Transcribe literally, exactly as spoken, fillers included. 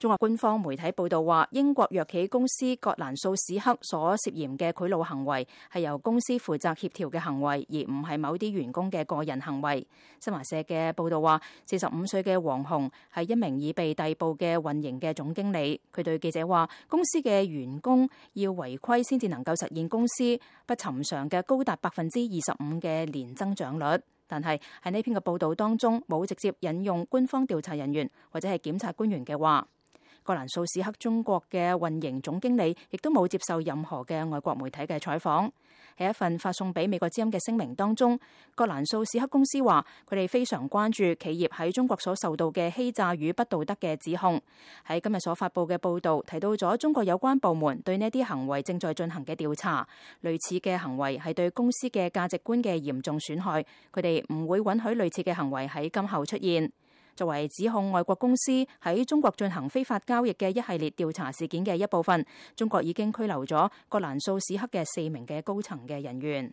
中國官方媒體報道話，英國藥企公司葛蘭素史克所涉嫌嘅賄賂行為係由公司負責協調嘅行為，而唔係某啲員工嘅個人行為。新華社嘅報道話，四十五歲嘅黃紅係一名已被逮捕嘅運營嘅總經理。佢對記者話，公司嘅員工要違規先至能夠實現公司不尋常嘅高達百分之二十五嘅年增長率。但係喺呢篇嘅報道當中，冇直接引用官方調查人員或者係檢察官員嘅話。葛蘭素史克中國嘅運營總經理亦都冇接受任何嘅外國媒體嘅採訪。喺一份發送俾美國之音嘅聲明當中，葛蘭素史克公司話佢哋非常關注企業喺中國所受到嘅欺詐與不道德嘅指控。喺今日所發佈嘅報道提到咗中國有關部門對呢啲行為正在進行嘅調查，類似嘅行為係對公司嘅價值觀嘅嚴重損害，佢哋唔會允許類似嘅行為喺今後出現。作為指控外國公司喺中國進行非法交易嘅一系列調查事件嘅一部分，中國已經拘留咗葛蘭素史克嘅四名嘅高層嘅人員。